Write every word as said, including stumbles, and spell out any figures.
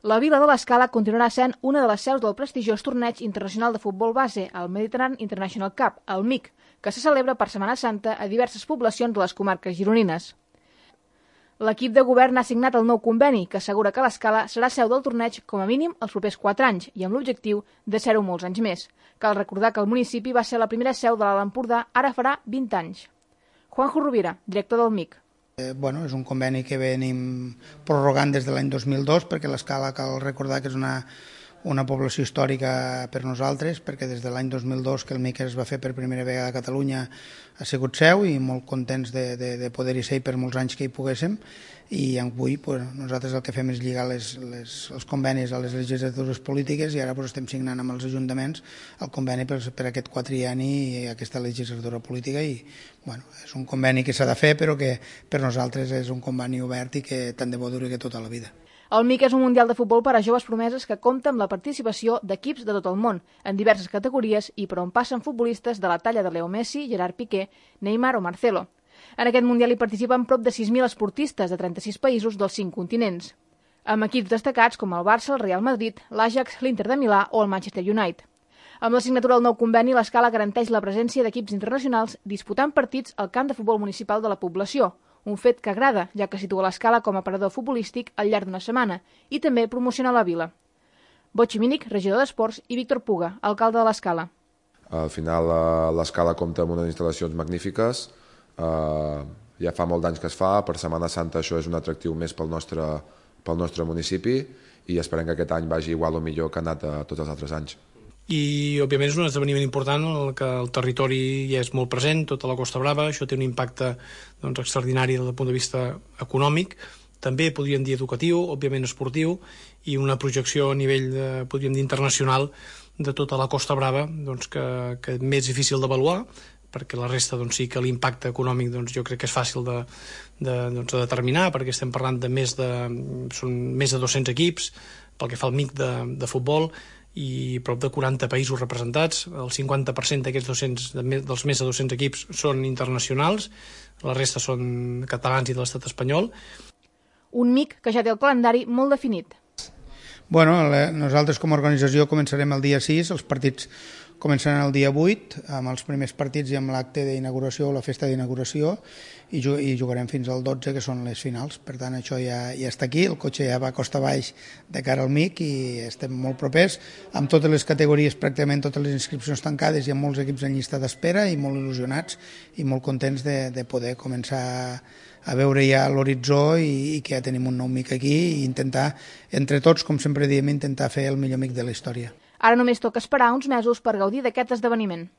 La vila de l'Escala continuarà sent una de les seus del prestigiós torneig internacional de futbol base, el Mediterranean International Cup, el M I C, que se celebra per Setmana Santa a diverses poblacions de les comarques gironines. L'equip de govern ha signat el nou conveni, que assegura que l'Escala serà seu del torneig com a mínim els propers quatre anys i amb l'objectiu de ser-ho molts anys més. Cal recordar que el municipi va ser la primera seu de l'Alt Empordà ara farà vint anys. Juanjo Rovira, director del M I C. Eh, bueno, és un conveni que venim prorrogant des de l'any dos mil dos, perquè l'Escala cal recordar que és una, una població històrica per nosaltres, perquè des de l'any dos mil dos que el M I C es va fer per primera vegada a Catalunya ha sigut seu i molt contents de, de, de poder-hi ser per molts anys que hi poguéssim, i avui pues, nosaltres el que fem és lligar les, les, els convenis a les legislatures polítiques i ara pues, estem signant amb els ajuntaments el conveni per, per aquest quatrienni i aquesta legislatura política i bueno, és un conveni que s'ha de fer però que per nosaltres és un conveni obert i que tant de bo duri que tota la vida. El M I C és un mundial de futbol per a joves promeses que compta amb la participació d'equips de tot el món, en diverses categories i per on passen futbolistes de la talla de Leo Messi, Gerard Piqué, Neymar o Marcelo. En aquest mundial hi participen prop de sis mil esportistes de trenta-sis països dels cinc continents, amb equips destacats com el Barça, el Real Madrid, l'Ajax, l'Inter de Milà o el Manchester United. Amb la signatura del nou conveni, l'Escala garanteix la presència d'equips internacionals disputant partits al camp de futbol municipal de la població, un fet que agrada, ja que situa l'Escala com a aparador futbolístic al llarg d'una setmana i també promociona la vila. Botxi Mínic, regidor d'Esports, i Víctor Puga, alcalde de l'Escala. Al final l'Escala compta amb unes instal·lacions magnífiques. Uh, ja fa molt d'anys que es fa, per Setmana Santa això és un atractiu més pel nostre, pel nostre municipi i esperem que aquest any vagi igual o millor que ha anat a tots els altres anys. I òbviament és un esdeveniment important en el que el territori ja és molt present, tota la Costa Brava, això té un impacte doncs, extraordinari des del punt de vista econòmic, també podríem dir educatiu, òbviament esportiu, i una projecció a nivell, de, podríem dir, internacional de tota la Costa Brava, doncs, que, que és més difícil d'avaluar, perquè la resta doncs, sí que l'impacte econòmic doncs, jo crec que és fàcil de, de, doncs, de determinar, perquè estem parlant de més de, són més de dos-cents equips, pel que fa al M I C de, de futbol, i prop de quaranta països representats. El cinquanta per cent d'aquests dos-cents, dels més de dos-cents equips són internacionals, la resta són catalans i de l'estat espanyol. Un M I C que ja té el calendari molt definit. Bueno, nosaltres com a organització començarem el dia sis, els partits començaran el dia vuit, amb els primers partits i amb l'acte d'inauguració o la festa d'inauguració, i jugarem fins al dotze, que són les finals. Per tant, això ja, ja està aquí, el cotxe ja va costa baix de cara al M I C i estem molt propers, amb totes les categories, pràcticament totes les inscripcions tancades, hi ha molts equips en llista d'espera i molt il·lusionats i molt contents de, de poder començar a veure ja l'horitzó i, i que ja tenim un nou M I C aquí i intentar, entre tots, com sempre diem, intentar fer el millor M I C de la història. Ara només toca esperar uns mesos per gaudir d'aquest esdeveniment.